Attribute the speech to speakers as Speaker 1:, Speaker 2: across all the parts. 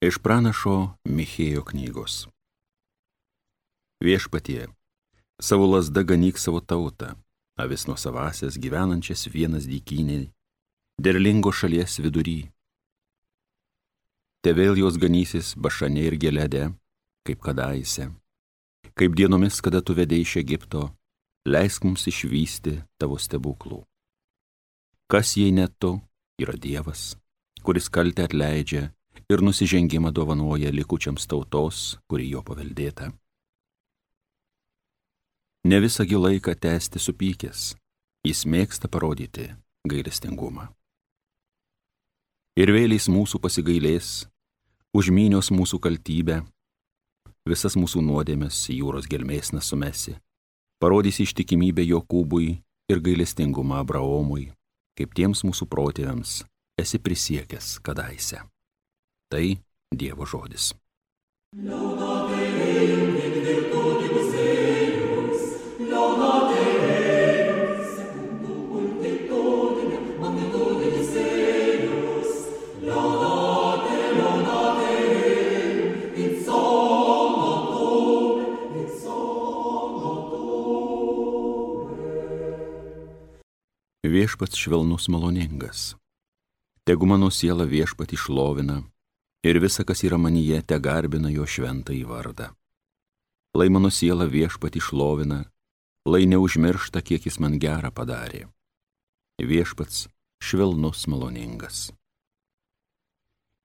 Speaker 1: Iš pranašo Michėjo knygos. Viešpatie, savo lazda ganyk savo tautą, avis nuo savasias gyvenančias vienas dykynėj, derlingo šalies vidury. Te vėl jos ganysis Bašane ir Gelede, kaip kadaise, kaip dienomis, kada tu vedei iš Egipto, leisk mums išvysti tavo stebuklų. Kas jei ne tu, yra Dievas, kuris kaltę atleidžia ir nusižengimą dovanoja likučiams tautos, kuri jo paveldėta. Ne visągi laiką tęsti supykęs, jis mėgsta parodyti gailestingumą. Ir vėliais mūsų pasigailės, užmynios mūsų kaltybę, visas mūsų nuodėmes jūros gelmės nesumesi, parodys ištikimybę Jokūbui ir gailestingumą Abraomui, kaip tiems mūsų protėviams esi prisiekęs kadaise. Tai Dievo žodis. Viešpats švelnus maloningas. Tegu mano siela Viešpatį šlovina ir visa, kas yra manyje, te garbina jo šventąjį vardą. Lai mano siela Viešpatį šlovina, lai neužmiršta, kiek jis man gerą padarė. Viešpats švelnus maloningas.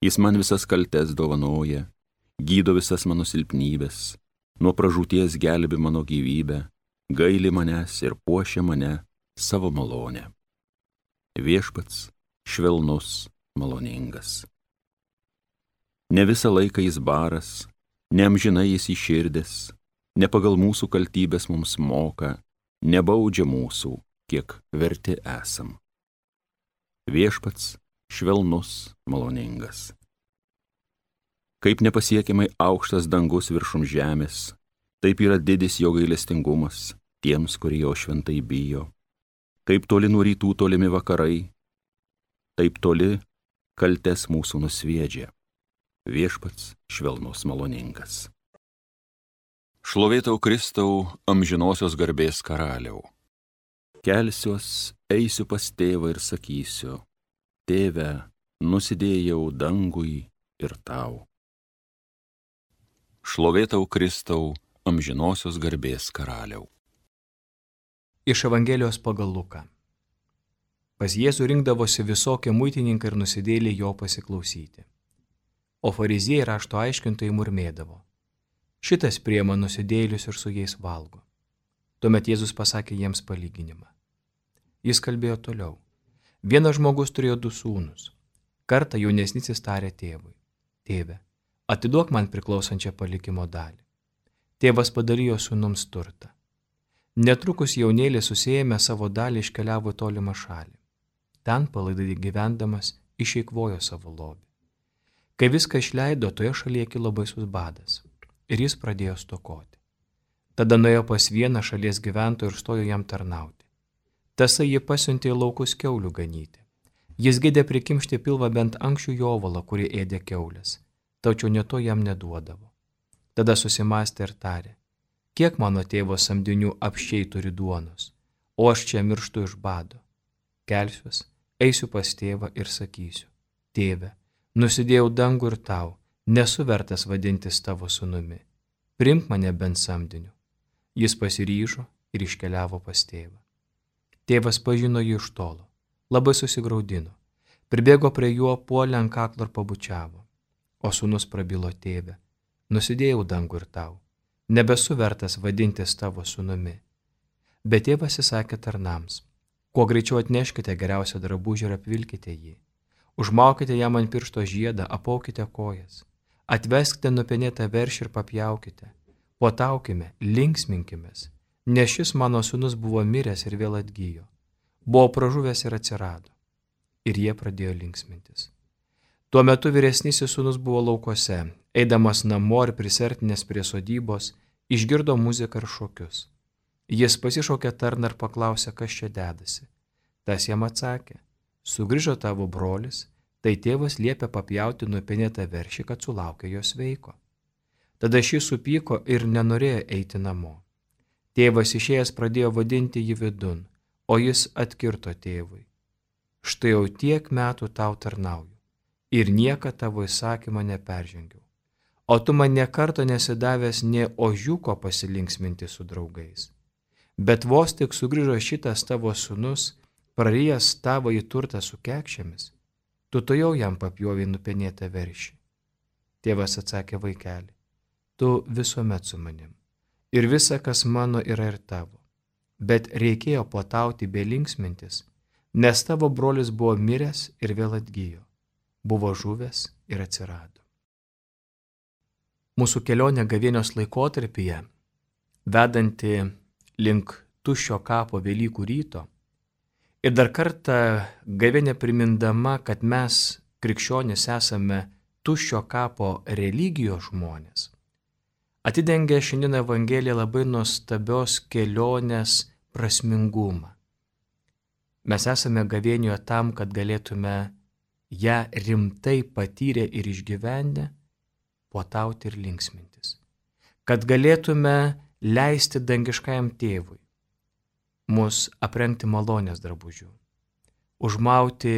Speaker 1: Jis man visas kaltes dovanoja, gydo visas mano silpnybės, nuo pražūties gelbi mano gyvybę, gaili manęs ir puošia mane savo malonę. Viešpats švelnus maloningas. Ne visą laiką jis baras, neamžinai jis įširdęs, ne pagal mūsų kaltybės mums moka, nebaudžia mūsų, kiek verti esam. Viešpats švelnus maloningas. Kaip nepasiekiamai aukštas dangus viršum žemės, taip yra didis jo gailestingumas tiems, kurie jo šventai bijo. Kaip toli nuo rytų tolimi vakarai, taip toli kaltes mūsų nusviedžia. Viešpats švelnus maloningas. Šlovėtau Kristau, amžinosios garbės karaliau. Kelsiuos, eisiu pas tėvą ir sakysiu, tėve, nusidėjau dangui ir tau. Šlovėtau Kristau, amžinosios garbės karaliau.
Speaker 2: Iš Evangelijos pagal Luką. Pas Jėzų rinkdavosi visokie muitininkai ir nusidėjėliai jo pasiklausyti. O fariziejai rašto aiškintojai murmėdavo: šitas priima nusidėjėlius ir su jais valgo. Tuomet Jėzus pasakė jiems palyginimą. Jis kalbėjo toliau. Vienas žmogus turėjo 2 sūnus. Kartą jaunesnysis tarė tėvui: tėve, atiduok man priklausančią palikimo dalį. Tėvas padalijo sūnums turtą. Netrukus jaunėlis susiėmė savo dalį iškeliavo į tolimą šalį. Ten palaidai gyvendamas išeikvojo savo lobį. Kai viską išleido, toje šalyje kilo baisus badas ir jis pradėjo stokoti. Tada nuėjo pas vieną šalies gyventoją ir stojo jam tarnauti. Tasai jį pasiuntė į laukus kiaulių ganyti. Jis geidė prikimšti pilvą bent ankščių jovalą, kurį ėdė kiaulės, tačiau ne to jam neduodavo. Tada susimastė ir tarė: kiek mano tėvo samdinių apsčiai turi duonos, o aš čia mirštu iš bado. Kelsiuos, eisiu pas tėvą ir sakysiu: tėve, nusidėjau dangų ir tau, nesu vertas vadintis tavo sūnumi. Priimk mane bent samdiniu. Jis pasiryžo ir iškeliavo pas tėvą. Tėvas pažino jį iš tolo, labai susigraudino. Pribėgo prie juo, puolė ant kaklo ir pabučiavo. O sūnus prabilo: tėve, nusidėjau dangų ir tau, nebesu vertas vadintis tavo sūnumi. Bet tėvas įsakė tarnams: kuo greičiau atneškite geriausią drabužį ir apvilkite jį. Užmaukite jam ant piršto žiedą, apaukite kojas. Atveskite nupenėtą veršį ir papjaukite. Puotaukime, linksminkimės, nes šis mano sūnus buvo miręs ir vėl atgijo. Buvo pražuvęs ir atsirado. Ir jie pradėjo linksmintis. Tuo metu vyresnysis sūnus buvo laukuose, eidamas namo ir prisertinęs prie sodybos, išgirdo muziką ir šokius. Jis pasišaukė tarną ir paklausė, kas čia dedasi. Tas jam atsakė: sugrįžo tavo brolis, Tai tėvas liepė papjauti nupenėtą veršį, kad sulaukė jos sveiko. Tada šis supyko ir nenorėjo eiti namo. Tėvas išėjęs pradėjo vadinti jį vidun, o jis atkirto tėvui. Štai jau tiek metų tau tarnauju ir niekad tavo įsakymą neperžengiau. O tu man nė karto nesidavęs nė ožiuko pasilinksminti su draugais. Bet vos tik sugrįžo šitas tavo sūnus, prarijęs tavo į turtą su kekšėmis, tu tojau jam papjovei nupenėtą veršį. Tėvas atsakė: vaikeli, tu visuomet su manim, ir visa, kas mano, yra ir tavo. Bet reikėjo puotauti bei linksmintis, nes tavo brolis buvo miręs ir vėl atgijo, buvo žuvęs ir atsirado. Mūsų kelionė gavėnios laikotarpyje, vedanti link tuščio kapo Velykų ryto, ir dar kartą gavėnė primindama, kad mes, krikščionys, esame tuščio kapo religijos žmonės, atidengia šiandien Evangelija labai nuostabios kelionės prasmingumą. Mes esame gavėnijoje tam, kad galėtume ją rimtai patyrę ir išgyvenę puotauti ir linksmintis. Kad galėtume leisti dangiškajam tėvui mus aprengti malonės drabužių, užmauti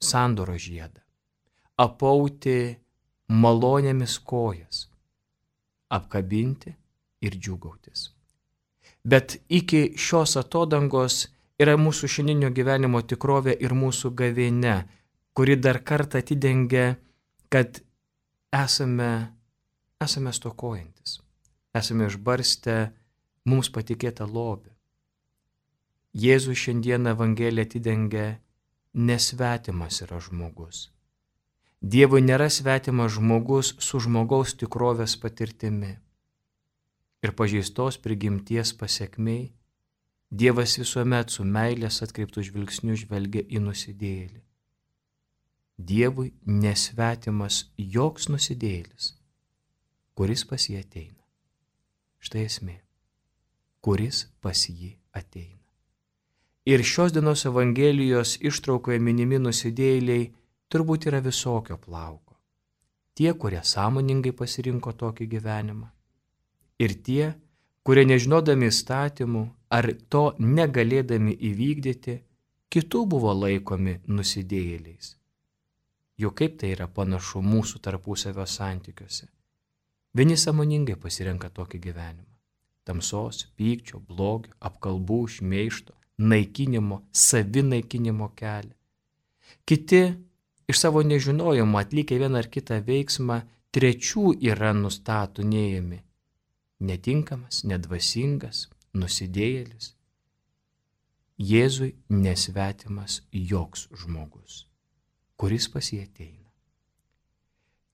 Speaker 2: sandoro žiedą, apauti malonėmis kojas, apkabinti ir džiūgautis. Bet iki šios atodangos yra mūsų šiandieninio gyvenimo tikrovė ir mūsų gavėnia, kuri dar kartą atidengia, kad esame stokojantis, esame išbarstę mums patikėtą lobį. Jėzus šiandien Evangelija atidengia: nesvetimas yra žmogus. Dievui nėra svetimas žmogus su žmogaus tikrovės patirtimi. Ir pažeistos prigimties pasekmei Dievas visuomet su meilės atkreiptų žvilgsniu žvelgia į nusidėjėlį. Dievui nesvetimas joks nusidėjėlis, kuris pas jį ateina. Štai esmė, kuris pas jį ateina. Ir šios dienos Evangelijos ištraukoje minimi nusidėjėliai turbūt yra visokio plauko. Tie, kurie sąmoningai pasirinko tokį gyvenimą, ir tie, kurie nežinodami įstatymų ar to negalėdami įvykdyti, kitų buvo laikomi nusidėjėliais. Juk kaip tai yra panašu mūsų tarpusavio santykiuose. Vieni sąmoningai pasirenka tokį gyvenimą. Tamsos, pykčio, blogio, apkalbų, šmeižto, naikinimo, savinaikinimo kelią. Kiti iš savo nežinojimo atlikę vieną ar kitą veiksmą, trečių yra nustatinėjami. Netinkamas, nedvasingas, nusidėjėlis. Jėzui nesvetimas joks žmogus, kuris pas jį ateina.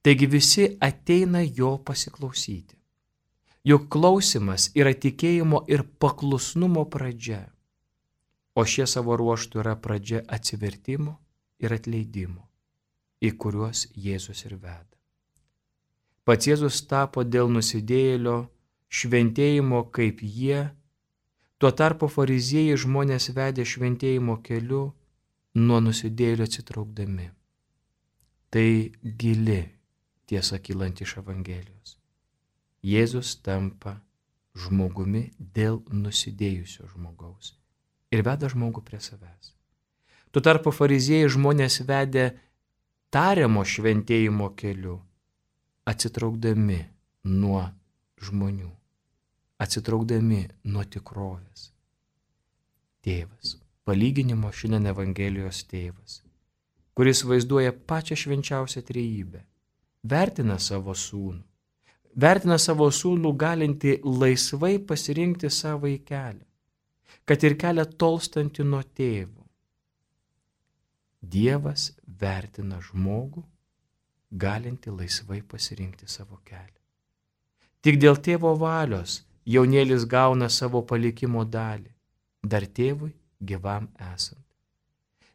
Speaker 2: Taigi visi ateina jo pasiklausyti. Juk klausimas yra tikėjimo ir paklusnumo pradžia, o šie savo ruožtų yra pradžia atsivertimo ir atleidimo, į kuriuos Jėzus ir veda. Pats Jėzus tapo dėl nusidėjėlio šventėjimo kaip jie, tuo tarpu fariziejai žmonės vedė šventėjimo keliu, nuo nusidėjėlio atsitraukdami. Tai gili tiesa kylanti iš Evangelijos. Jėzus tampa žmogumi dėl nusidėjusio žmogaus ir veda žmogų prie savęs. Tuo tarpu fariziejai žmonės vedė tariamo šventėjimo keliu, atsitraukdami nuo žmonių, atsitraukdami nuo tikrovės. Tėvas, palyginimo šiandien Evangelijos tėvas, kuris vaizduoja pačią švenčiausią trejybę, vertina savo sūnų galinti laisvai pasirinkti savąjį kelią, kad ir kelią tolstantį nuo tėvo. Dievas vertina žmogų galinti laisvai pasirinkti savo kelią. Tik dėl tėvo valios jaunėlis gauna savo palikimo dalį, dar tėvui gyvam esant.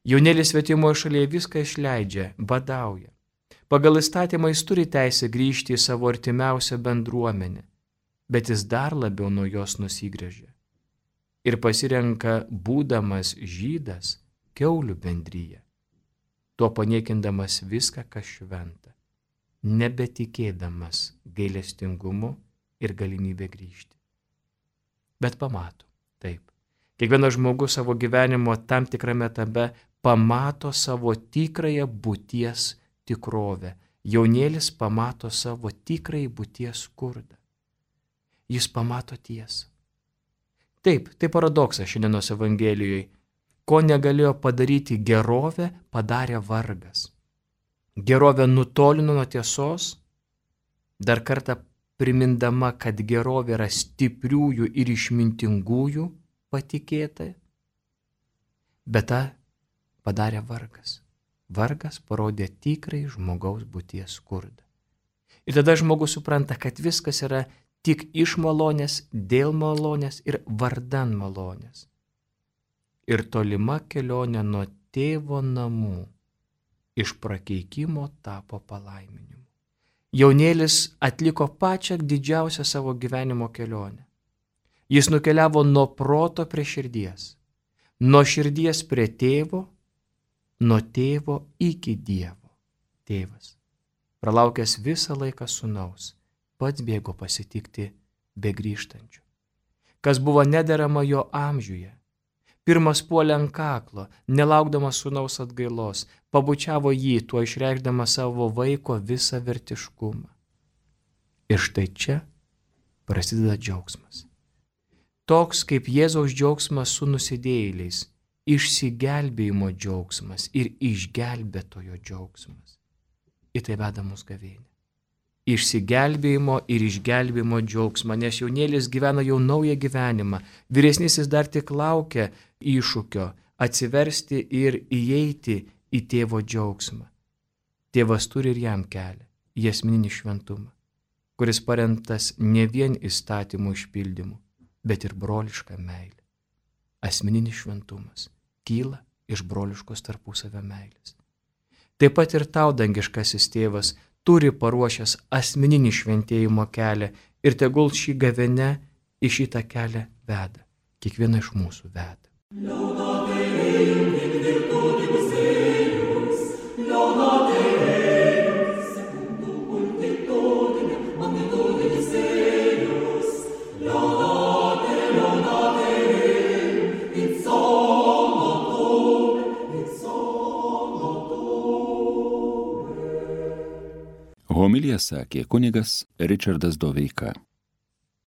Speaker 2: Jaunėlis svetimoje šalyje viską išleidžia, badauja. Pagal įstatymą jis turi teisę grįžti į savo artimiausią bendruomenę, bet jis dar labiau nuo jos nusigręžia ir pasirenka, būdamas žydas, kiaulių bendryje. tuo paniekindamas viską, kas šventa, nebetikėdamas gailestingumu ir galimybė grįžti. Bet pamato, taip. Kiekvienas žmogus savo gyvenimo tam tikrame etape pamato savo tikrąją būties tikrovę. Jaunėlis pamato savo tikrąjį būties skurdą. Jis pamato tiesą. Taip, tai paradoksas šiandienos Evangelijoje. Ko negalėjo padaryti gerovė, padarė vargas. Gerovė nutolino nuo tiesos, dar kartą primindama, kad gerovė yra stipriųjų ir išmintingųjų patikėta, bet tą padarė vargas. Vargas parodė tikrai žmogaus būties skurdą. Ir tada žmogus supranta, kad viskas yra tik iš malonės, dėl malonės ir vardan malonės. Ir tolima kelionė nuo tėvo namų iš prakeikimo tapo palaiminimu. Jaunėlis atliko pačią didžiausią savo gyvenimo kelionę. Jis nukeliavo nuo proto prie širdies, nuo širdies prie tėvo, nuo tėvo iki Dievo. Tėvas, pralaukęs visą laiką sūnaus, pats bėgo pasitikti begrįžtančių. Kas buvo nederama jo amžiuje, pirmas puolė ant kaklo, nelaukdamas sūnaus atgailos, pabučiavo jį, tuo išreikšdamas savo vaiko visą vertiškumą. Ir štai čia prasideda džiaugsmas. Toks kaip Jėzaus džiaugsmas su nusidėjėliais, išsigelbėjimo džiaugsmas ir išgelbėtojo džiaugsmas. Į tai veda mus gavėnia. Išsigelbėjimo ir išgelbėjimo džiaugsmą, nes jaunėlis gyvena jau naują gyvenimą, vyresnysis dar tik laukia iššūkio atsiversti ir įeiti į tėvo džiaugsmą. Tėvas turi ir jam kelią, į asmeninį šventumą, kuris paremtas ne vien įstatymų išpildymu, bet ir broliška meilė. Asmeninis šventumas kyla iš broliškos tarpusavio meilės. Taip pat ir tau, dangiškasis tėvas, turi paruošęs asmeninį šventėjimo kelią ir tegul šį gavėnią į šitą kelią veda. Kiekvieną iš mūsų veda.
Speaker 1: Homiliją sakė kunigas Ričardas Doveika.